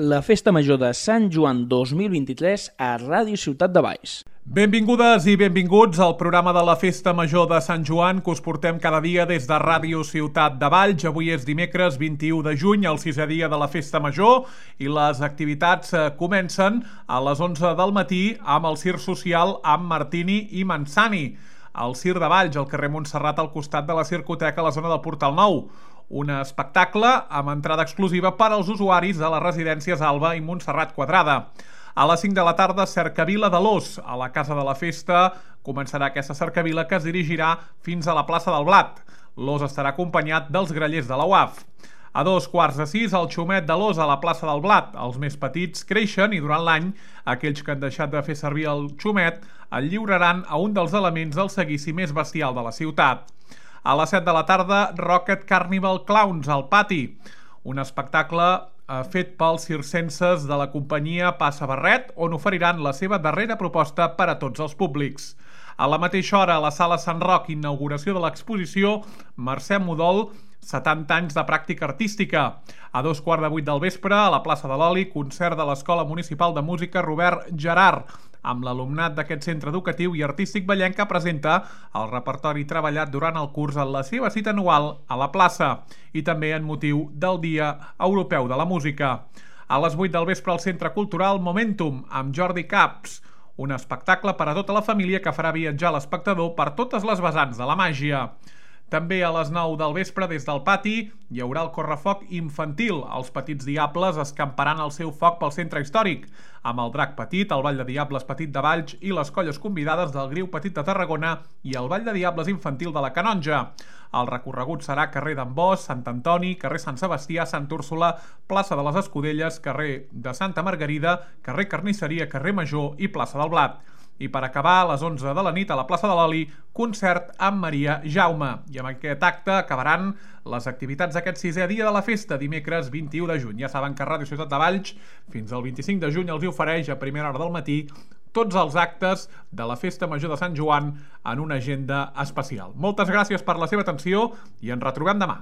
la Festa Major de Sant Joan 2023 a Ràdio Ciutat de Valls. Benvingudes i benvinguts al programa de la Festa Major de Sant Joan que us portem cada dia des de Ràdio Ciutat de Valls. Avui és dimecres 21 de juny, el sisè dia de la Festa Major, i les activitats comencen a les 11 del matí amb el Circ Social amb Martini i Mansani. Al Circ de Valls, al carrer Montserrat, al costat de la Circoteca, a la zona del Portal Nou. Un espectacle amb entrada exclusiva per als usuaris de les residències Alba i Montserrat Quadrada. A les 5 de la tarda, Cercavila de l'Ós. A la Casa de la Festa començarà aquesta cercavila que es dirigirà fins a la plaça del Blat. L'Ós estarà acompanyat dels grallers de la UAF. A 5:15, el Xumet de l'Ós a la plaça del Blat. Els més petits creixen i durant l'any aquells que han deixat de fer servir el xumet el lliuraran a un dels elements del seguici més bestial de la ciutat. A les 7 de la tarda, Rocket Carnival Clowns al pati. Un espectacle fet pels circenses de la companyia Passa Barret, on oferiran la seva darrera proposta per a tots els públics. A la mateixa hora, a la Sala Sant Roc, inauguració de l'exposició Mercè Modol, 70 anys de pràctica artística. A 7:15 del vespre, a la plaça de l'Oli, concert de l'Escola Municipal de Música Robert Gerard, amb l'alumnat d'aquest centre educatiu i artístic vallenc que presenta el repertori treballat durant el curs en la seva cita anual a la plaça i també en motiu del Dia Europeu de la Música. A les 8 del vespre al Centre Cultural Momentum amb Jordi Caps, un espectacle per a tota la família que farà viatjar l'espectador per totes les vessants de la màgia. També a les 9 del vespre, des del pati, hi haurà el correfoc infantil. Els petits diables escamparan el seu foc pel centre històric, amb el Drac Petit, el Ball de Diables Petit de Valls i les colles convidades del Griu Petit de Tarragona i el Ball de Diables Infantil de la Canonja. El recorregut serà carrer d'en Bos, Sant Antoni, carrer Sant Sebastià, Sant Úrsula, plaça de les Escudelles, carrer de Santa Margarida, carrer Carnisseria, carrer Major i plaça del Blat. I per acabar, a les 11 de la nit a la plaça de l'Oli, concert amb Maria Jaume. I amb aquest acte acabaran les activitats d'aquest sisè dia de la festa, dimecres 21 de juny. Ja saben que Ràdio Ciutat de Valls fins al 25 de juny els ofereix a primera hora del matí tots els actes de la Festa Major de Sant Joan en una agenda especial. Moltes gràcies per la seva atenció i ens retrobem demà.